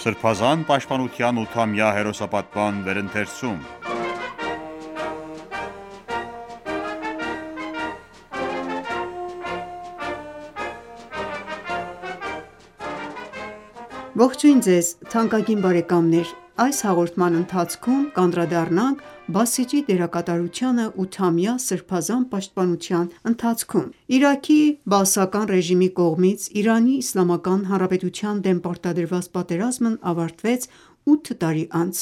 Սրբազան պաշտպանության 8-ամյա հերոսապատման վերընթերցում։ Ողջույն ձեզ թանկագին բարեկամներ: Այս հաղորդման ընթացքում կանդրադառնանք Բասիջի դերակատարությանը 8-ամյա սրբազան պաշտպանության ընթացքում։ Իրաքի բաասական ռեժիմի կողմից ԻԻՀ-ի դեմ պարտադրված պատերազմն ավարտվեց 8 տարի անց,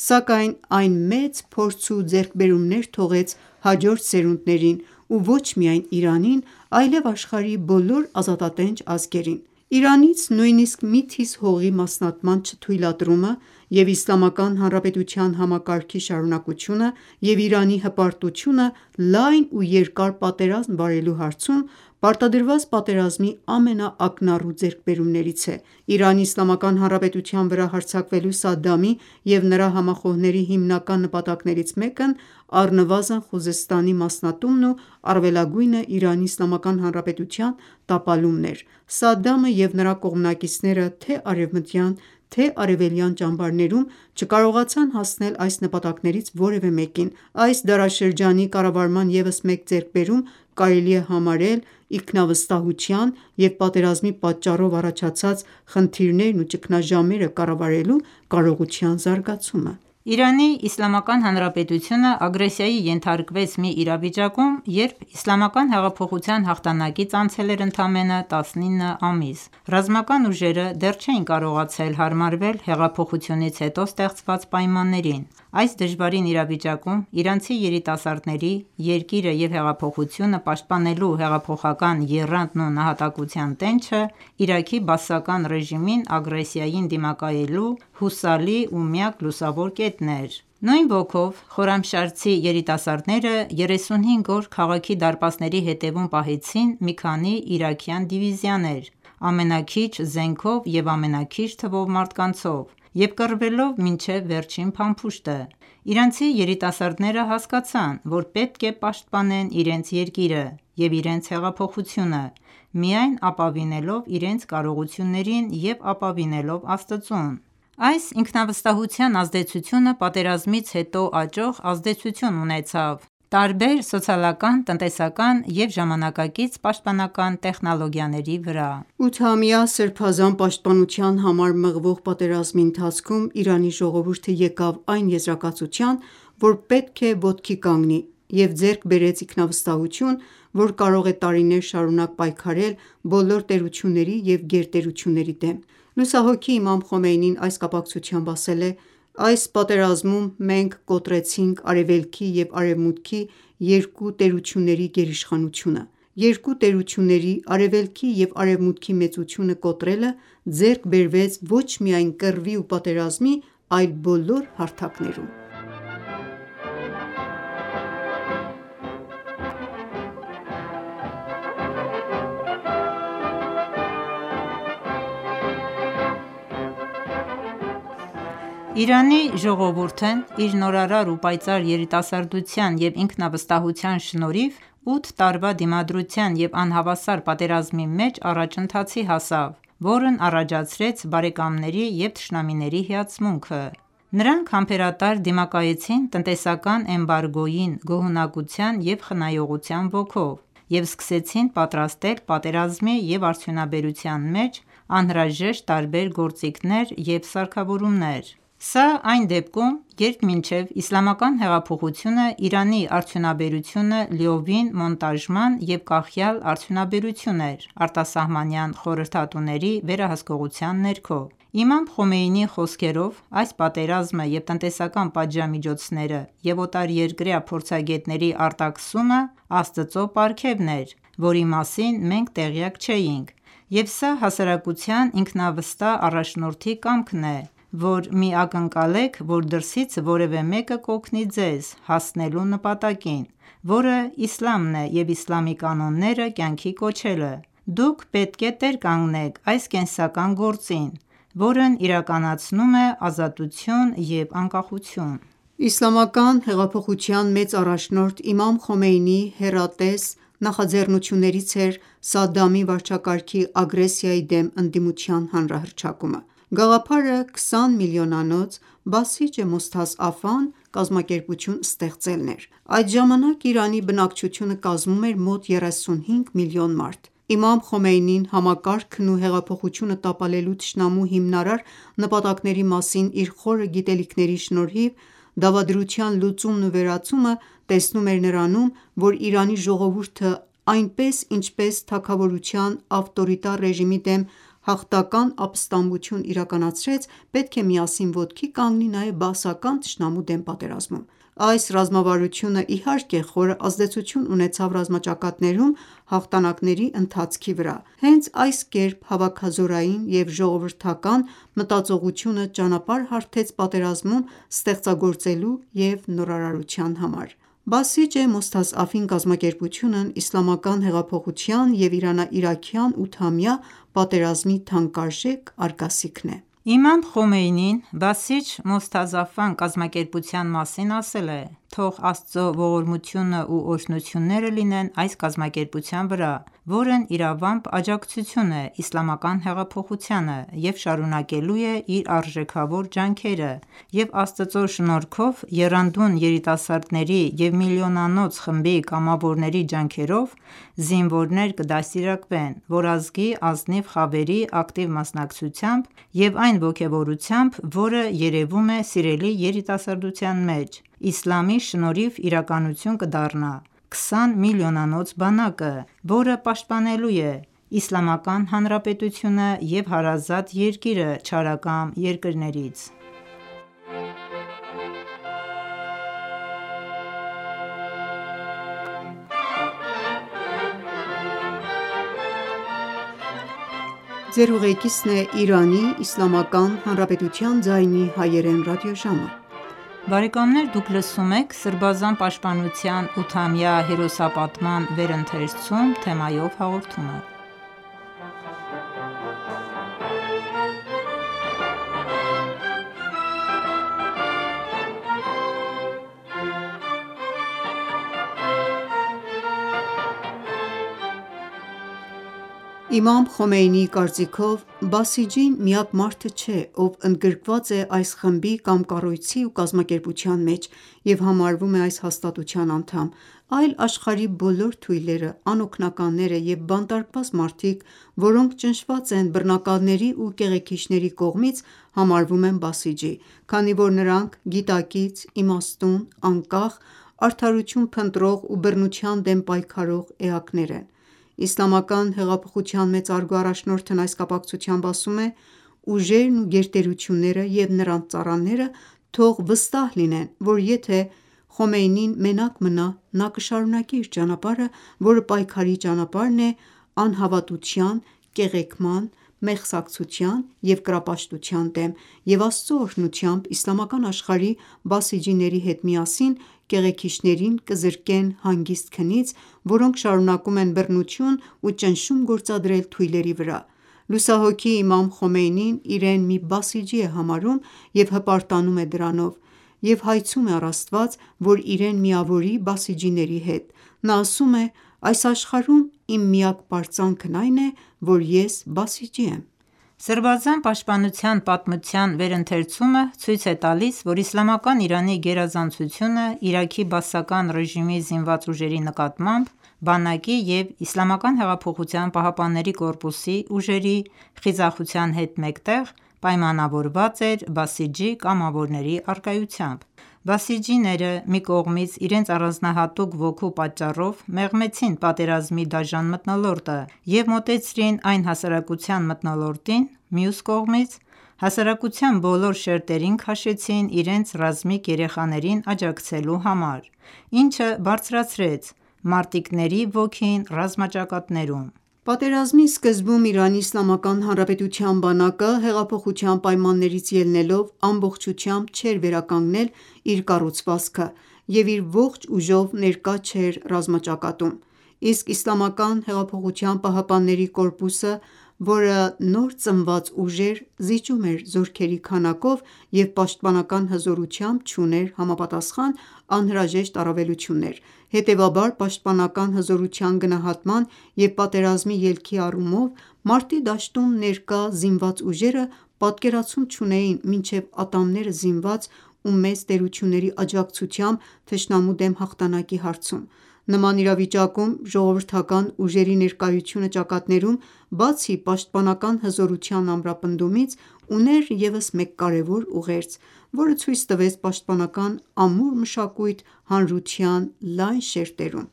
սակայն այն մեծ փորձ ու ձեռքբերումներ թողեց հաջորդ սերունդներին ու ոչ միայն Իրանին, այլև աշխարհի բոլոր ազատատենչ ազգերին: Իրանից նույնիսկ մի թիզ հողի մասնատման չթույլատրումը և Իսլամական Հանրապետության համակարգի շարունակությունը և Իրանի հպարտությունը լայն ու երկար պատերազմ վարելու հարցում պարտադրված պատերազմի ամենաակնառու ձեռքբերումներից է: ԻԻՀ-ի վրա հարձակվելու Սադամի և նրա համախոհների հիմնական նպատակներից մեկն առնվազն Խուզեստանի մասնատումն ու առավելագույնը ԻԻՀ տապալումն էր: Սադամը և նրա կողմնակիցները թե արևմտյան, թե արևելյան ճամբարներում չկարողացան հասնել այս նպատակներից որևէ մեկին: Այս դարաշրջանի կառավարման ևս մեկ ձեռքբերում կարելի է համարել ինքնավստահության և պատերազմի պատճառով առաջացած խնդիրներն ու ճգնաժամերը կառավարելու կարողության զարգացումը: ԻԻՀ-ն ագրեսիայի ենթարկվեց մի իրավիճակում, երբ Իսլամական հեղափոխության հաղթանակից անցել էր ընդամենը 19 ամիս: Ռազմական ուժերը դեռ չէին կարողացել հարմարվել հեղափոխությունից հետո ստեղծված պայմաններին: Այս դժվարին իրավիճակում իրանցի երիտասարդների՝ երկիրը և հեղափոխությունը պաշտպանելու հեղափոխական եռանդն ու նահատակության տենչը Իրաքի բաասական ռեժիմին ագրեսիային դիմակայելու հուսալի ու միակ լուսավոր կետն էր: Նույն ոգով խորամշարձի երիտասարդները 35 օր քաղաքի դարպասների ետևում պահեցին մի քանի իրաքյան դիվիզիաներ՝ ամենաքիչ զենքով և ամենաքիչ թվով մարդկանցով և կռվելով մինչև վերջին փամփուշտը: Իրանցի երիտասարդները հասկացան, որ պետք է պաշտպանեն իրենց երկիրը և իրենց հեղափոխությունը, միայն ապավինելով իրենց կարողություններին և ապավինելով Աստծուն: Այս ինքնավստահության ազդեցությունը պատերազմից հետո աճող ազդեցություն ունեցավ տարբեր սոցիալական, տնտեսական և ժամանակակից պաշտպանական տեխնոլոգիաների վրա: 8-ամյա սրբազան պաշտպանության համար մղվող պատերազմի ընթացքում Իրանի ժողովուրդը եկավ այն եզրակացության, որ պետք է ոտքի կանգնի և ձեռք բերեց ինքնավստահություն, որ կարող է տարիներ շարունակ պայքարել բոլոր տերությունների և գերտերությունների դեմ: Լուսահոգի Իմամ Խոմեյնին այս կապակցությամբ ասել է. «Այս պատերազմում մենք կոտրեցինք Արևելքի և Արևմուտքի երկու տերությունների գերիշխանությունը: Երկու տերությունների՝ Արևելքի և Արևմուտքի մեծությունը կոտրելը ձեռք բերվեց ոչ միայն կռվի ու պատերազմի, այլ բոլոր հարթակներում»: Իրանի ժողովուրդն իր նորարար ու պայծառ երիտասարդության և ինքնավստահության շնորհիվ 8 տարվա դիմադրության և անհավասար պատերազմի մեջ առաջընթացի հասավ, որն առաջացրեց բարեկամների և թշնամիների հիացմունքը: Նրանք համբերատար դիմակայեցին տնտեսական էմբարգոյին գոհունակության և խնայողության ոգով և սկսեցին պատրաստել պատերազմի և արդյունաբերության մեջ անհրաժեշտ տարբեր գործիքներ և սարքավորումներ: Սա այն դեպքում, երբ մինչև Իսլամական հեղափոխությունը Իրանի արդյունաբերությունը լիովին մոնտաժման և կախյալ արդյունաբերություն էր արտասահմանյան խորհրդատուների վերահսկողության ներքո: Իմամ Խոմեյնիի խոսքերով, այս պատերազմը և տնտեսական պատժամիջոցները և օտարերկրյա փորձագետների արտաքսումը Աստծո պարգևն էր, որի մասին մենք տեղյակ չէինք, և սա հասարակության ինքնավստահ առաջնորդի կամքն է, որ մի ակնկալեք, որ դրսից որևէ մեկը կօգնի ձեզ հասնելու նպատակին, որը իսլամն է և իսլամի կանոնները կյանքի կոչելը: Դուք պետք է տեր կանգնեք այս կենսական գործին, որն իրականացնում է ազատություն և անկախություն: Իսլամական հեղափոխության մեծ առաջնորդ Իմամ Խոմեյնիի հեռատես նախաձեռնություններից էր Սադամի վարչակարգի ագրեսիայի դեմ ընդդիմության հանրահռչակումը: Գաղափարը 20 միլիոնանոց Բասիջե Մոսթազ-Աֆան կազմակերպություն ստեղծելն էր։ Այդ ժամանակ Իրանի բնակչությունը կազմում էր մոտ 35 միլիոն մարդ։ Իմամ Խոմեյնին համակարգն ու հեղափոխությունը տապալելու թշնամու հիմնարար նպատակների մասին իր խորը գիտելիքների շնորհիվ դավադրության լուծումն ու վերացումը տեսնում էր նրանում, որ Իրանի ժողովուրդը այնպես ինչպես թագավորության ավտորիտար ռեժիմի դեմ հաղթական ապստամբություն իրականացրեց, պետք է միասին ոտքի կանգնի նաև բաասական թշնամու դեմ պատերազմում։ Այս ռազմավարությունը իհարկե խորը ազդեցություն ունեցավ ռազմաճակատներում հաղթանակների ընթացքի վրա։ Հենց այս կերպ հավաքազորային և ժողովրդական մտածողությունը ճանապարհ հարթեց պատերազմում ստեղծագործելու և նորարարության համար։ Բասիջե Մոսթազ-Աֆին կազմակերպությունն իսլամական հեղափոխության և Իրանա-իրաքյան ութամյա պատերազմի թանկարժեք արգասիքն է։ Իմամ Խոմեյնին Բասիջ Մոսթազ-Աֆան կազմակերպության մասին ասել է. «Թող Աստծո ողորմությունն ու օրհնությունները լինեն այս կազմակերպության վրա, որն իրավամբ աջակցություն է իսլամական հեղափոխությանը և շարունակելու է իր արժեքավոր ջանքերը, և Աստծո շնորհքով եռանդուն երիտասարդների և միլիոնանոց խմբի կամավորների ջանքերով զինվորներ կդաստիարակվեն, որ ազգի ազնիվ խավերի ակտիվ մասնակցությամբ և այն ոգևորությամբ, որը երևում է սիրելի երիտասարդության մեջ, իսլամի շնորհիվ իրականություն կդառնա 20 միլիոնանոց բանակը, որը պաշտպանելու է Իսլամական Հանրապետությունը և հարազատ երկիրը չարակամ երկրներից»։ Իմամ Խոմեյնիի կարծիքով Բասիջին միակ մարդը չէ, ով ընդգրկված է այս խմբի կամ կառույցի ու կազմակերպության մեջ և համարվում է այս հաստատության անդամ, այլ աշխարհի բոլոր թույլերը, անօգնականները և բանտարկված մարդիկ, որոնք ճնշված են բռնակալների ու կեղեքիչների կողմից, համարվում են Բասիջի, քանի որ նրանք գիտակից, իմաստուն, անկախ, արդարություն փնտրող ու բռնության դեմ պայքարող էակներ են։ Իսլամական հեղափոխության մեծարգո առաջնորդն այս կապակցությամբ ասում է. «Ուժերն ու գերտերությունները և նրանց ծառաները թող վստահ լինեն, որ եթե Խոմեյնին մենակ մնա, նա կշարունակի իր ճանապարհը, որը պայքարի ճանապարհն է անհավատության, կեղեքման, մեղսակցության և կռապաշտության դեմ, և Աստծո օրհնությամբ իսլամական աշխարհի բասիջիների հետ միասին կեղեքիչներին կզրկեն հանգիստ քնից, որոնք շարունակում են բռնություն ու ճնշում գործադրել թույլերի վրա»։ Լուսահոգի Իմամ Խոմեյնին իրեն մի Բասիջի է համարում և հպարտանում է դրանով և հայցում է առ Աստված, որ իրեն միավորի բասիջիների հետ։ Նա ասում է. «Այս աշխարհում իմ միակ պարծանքն այն է, որ ես Բասիջի եմ»։ Սրբազան պաշտպանության պատմության վերընթերցումը ցույց է տալիս, որ Իսլամական Իրանի գերազանցությունը Իրաքի բաասական ռեժիմի զինված ուժերի նկատմամբ բանակի և ԻՀՊԿ-ի ուժերի խիզախության հետ մեկտեղ պայմանավորված էր Բասիջի կամավորների առկայությամբ։ Բասիջիները մի կողմից իրենց առանձնահատուկ ոգու պատճառով մեղմեցին պատերազմի դաժան մթնոլորտը և մոտեցրին այն հասարակության մթնոլորտին, մյուս կողմից հասարակության բոլոր շերտերին քաշեցին իրենց ռազմիկ երեխաներին աջակցելու համար, ինչը բարձրացրեց մարտիկների ոգին ռազմաճակատներում։ Պատերազմի սկզբում ԻԻՀ բանակը հեղափոխության պայմաններից ելնելով ամբողջությամբ չէր վերականգնել իր կառուցվածքը և իր ողջ ուժով ներկա չէր ռազմաճակատում, իսկ ԻՀՊԿ-ը, որը նոր ծնված ուժ էր, զիջում էր զորքերի քանակով և պաշտպանական հզորությամբ չուներ համապատասխան անհրաժեշտ առավելություններ։ Հետևաբար, պաշտպանական հզորության գնահատման և պատերազմի ելքի առումով մարտի դաշտում ներկա զինված ուժերը պատկերացում չունեին մինչև ատամները զինված ու մեծ տերությունների աջակցությամբ թշնամու դեմ հաղթանակի հարցում: Նման իրավիճակում ժողովրդական ուժերի ներկայությունը ճակատներում, բացի պաշտպանական հզորության ամրապնդումից, ուներ ևս մեկ կարևոր ուղերձ, որը ցույց տվեց պաշտպանական ամուր մշակույթ հանրության լայն շերտերում: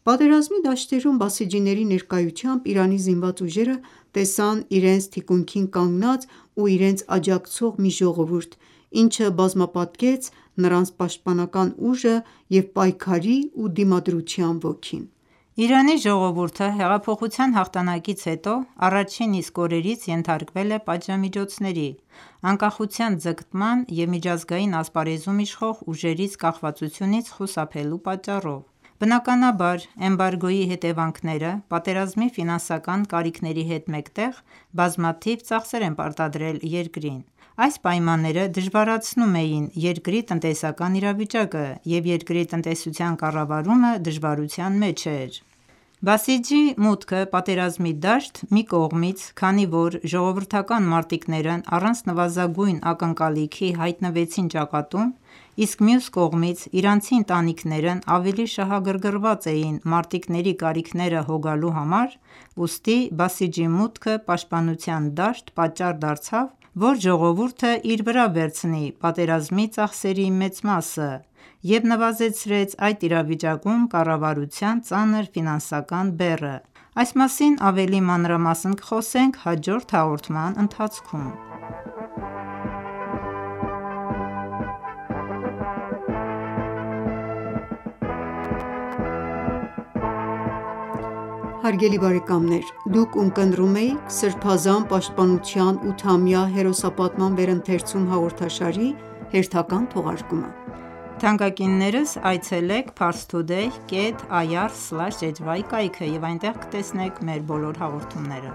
Պատերազմի դաշտերում բասիջիների ներկայությամբ Իրանի զինված ուժերը տեսան իրենց թիկունքին կանգնած ու իրենց աջակցող մի ժողովուրդ, ինչը բազմապատկեց նրանց պաշտպանական ուժը և պայքարի ու դիմադրության ոգին: Իրանի ժողովուրդը հեղափոխության հաղթանակից հետո առաջին իսկ օրերից ենթարկվել է պատժամիջոցների, անկախության ձգտման և միջազգային ասպարեզում իշխող ուժերից կախվածությունից խուսափելու պատճառով: Բնականաբար, էմբարգոյի հետևանքները պատերազմի ֆինանսական կարիքների հետ մեկտեղ բազմաթիվ ծախսեր են պարտադրել երկրին: Այս պայմանները դժվարացնում էին երկրի տնտեսական իրավիճակը և երկրի տնտեսության կառավարումը դժվարության մեջ էր: Բասիջի մուտքը պատերազմի դաշտ մի կողմից, քանի որ ժողովրդական մարտիկներն առանց նվազագույն ակնկալիքի հայտնվեցին ճակատում, իսկ մյուս կողմից իրանցի ընտանիքներն ավելի շահագրգռված էին մարտիկների կարիքները հոգալու համար, ուստի Բասիջի մուտքը պաշտպանության դաշտ պատճառ դարձավ, որ ժողովուրդը իր վրա վերցնի պատերազմի ծախսերի մեծ մասը և նվազեցրեց այդ իրավիճակում կառավարության ծանր ֆինանսական բեռը: Այս մասին ավելի մանրամասն կխոսենք հաջորդ հաղորդման ընթացքում: Հարգելի բարեկամներ, դուք ունկնդրում էիք «Սրբազան պաշտպանության 8-ամյա հերոսապատման վերընթերցում» հաղորդաշարի հերթական թողարկումը: Թանկագիններս այցելեք parstoday.ir/hy կայքը և այնտեղ կտեսնեք մեր բոլոր հաղորդումները: